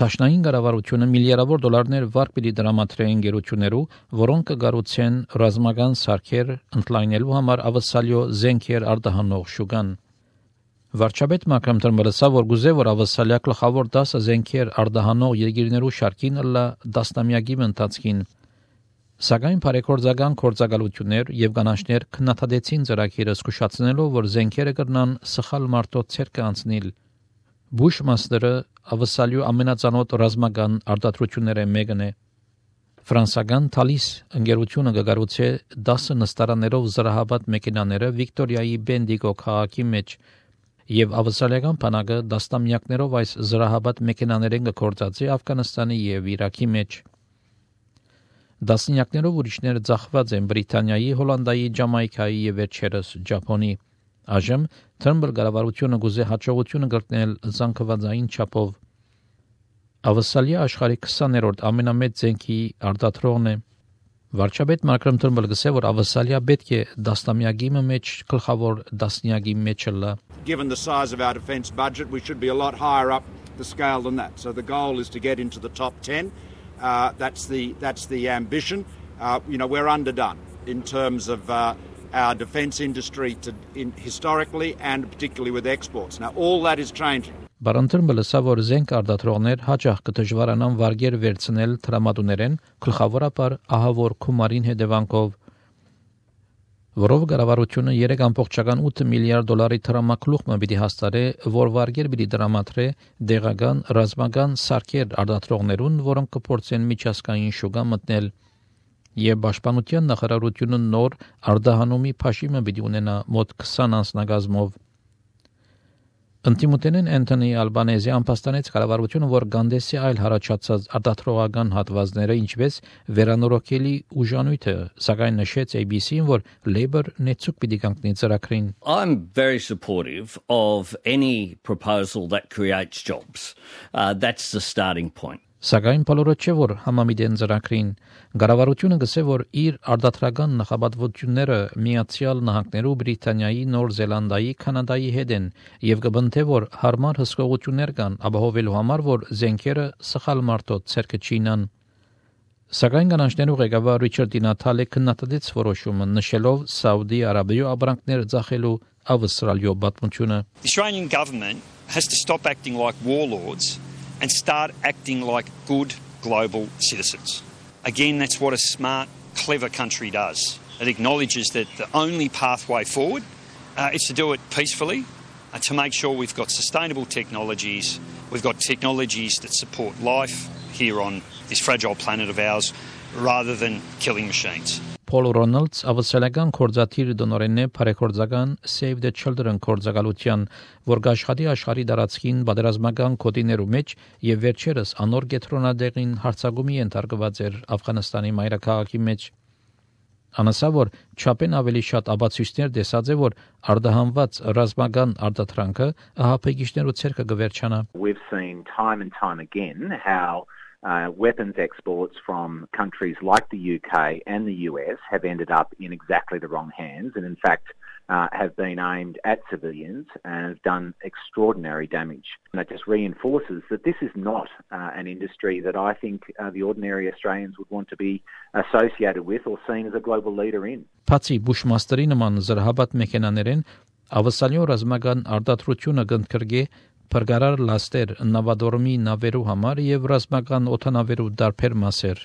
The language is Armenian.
Տաշնային կառավարությունը միլիարդավոր դոլարներ վարկ պիտի դրամատրե ընկերություններու, որոնք կգառուցեն ռազմական սարքեր ընդլայնելու համար ավսալյո զենքեր արտահանող շուկան։ Վարչապետ Մակրոն Թրմբլսա որ գուզե որ ավսալյա գլխավոր 10 զենքեր արտահանող երկիրներու շարքին ըլլա դաստամյակի ընթացքին։ Սակայն բարեգործական գործակալություններ եւ կանանչներ քննադատեցին ծրագիրը զսկուշացնելով, որ զենքերը կրնան սխալ մարտոց ցերկը անցնել։ Բուշմաստերը ավսալյու ամենածանոթ ռազմական արտադրությունները մեկն է։ Ֆրանսական Թալիս ընկերությունը կգառուցե 10 նստարաններով զրահաբադ մեքենաները Վիկտորիայի Բենդիգո քաղաքի մեջ եւ ավսալիական բանակը դաստամյակներով այս զրահաբադ մեքենաներեն կգործածի Աֆղանստանի եւ Իրաքի մեջ։ Դասնյակներով ուրիշներ ծախված են Բրիտանիայի, Հոլանդիայի, Ջամայկայի եւ վերջերս Ճապոնի։ Այժմ Թրմբլ կառավարությունը գուզե հաջողությունը կրկնել զանգվածային չափով։ Ավսալիա աշխարհի 20-րդ ամենամեծ զենքի արտադրողն է։ Վարչապետ Մակրոն Թրմբլը գսե որ ավսալիա պետք է դաստամյակի մեջ գլխավոր դասնյակի մեջ լա։ Given the size of our defence budget, we should be a lot higher up the scale than that. So the goal is to get into the top 10. That's the ambition. We're underdone in terms of our defence industry historically and particularly with exports. Now all that is changing. Բարընթրմբը որ զենք արտադրողներ հաճախ կդժվարանան վարգեր վերցնել տրամադուներեն գլխավորապես ահավոր քումարին հետևանքով, որով կառավարությունը 3.8 միլիարդ դոլարի տրամակլուխ պիտի հաստատի, որ վարգեր պիտի դրամատրե դեղական ռազմական սարքեր արտադրողներուն, որոնք կփորձեն միջազգային շուկա մտնել, եւ պաշտպանության նախարարությունը նոր արտահանումի փաշիմը պիտի ունենա մոտ 20 անձնագազմով։ Ընտիմութենեն Անթոնի Ալբանեզի ամփոստանեց կառավարությունը, որ գանդեսի այլ հարաճած արտադրողական հատվածները ինչպես վերանորոգելի ուժանույթը, սակայն նշեց ABC-ին, որ Labour նեցուկ պիտի կանգնի ծրագրին։ I'm very supportive of any proposal that creates jobs. That's the starting point. Սակայն բոլորը չէ որ համամիտեն ծրագրին կառավարությունը գսե որ իր արտադրական նախապատվությունները Միացյալ Նահանգներու, Բրիտանիայի, Նոր Զելանդիայի, Կանադայի հետ են եւ կբնթե որ հարմար հսկողություններ կան ապահովելու համար որ զենքերը սխալ մարտոց ցերկը չինան։ Սակայն կանանչներու ղեկավար Ռիչարդ Նաթալը քննադատեց որոշումը նշելով Սաուդի Արաբիայում ապրանքներ ծախելու ավստրալիո պատմությունը։ The Australian government has to stop acting like warlords and start acting like good global citizens. Again, that's what a smart, clever country does. It acknowledges that the only pathway forward is to do it peacefully, to make sure we've got sustainable technologies, we've got technologies that support life here on this fragile planet of ours, rather than killing machines. Paul Ronalds ավսալական կորզաթիր դոնորենն է բարեգործական Save the Children կորզակալության, որ գաշխատի աշխարհի դարածքին պատերազմական կոդիներու մեջ եւ վերջերս անոր գետրոնադեղին հարցագումի ենթարկված էր Աֆղանստանի մայրաքաղաքի մեջ։ Անասավոր չափեն ավելի շատ աբացույցներ տեսած է, որ արդահանված ռազմական արտադրանքը ահապեգիչներու ցերկը կվերջանա։ We've seen time and time again how weapons exports from countries like the UK and the US have ended up in exactly the wrong hands and in fact have been aimed at civilians and have done extraordinary damage. And that just reinforces that this is not an industry that I think the ordinary Australians would want to be associated with or seen as a global leader in. Բացի Բուշմաստերի նման զրահաբադ մեքենաներեն ավսալյո ռազմական արտադրությունը կընդգրկի Պրգարար լաստեր նավադորմի նավերու համար եւ ռազմական օդանավերու դարբեր մասեր։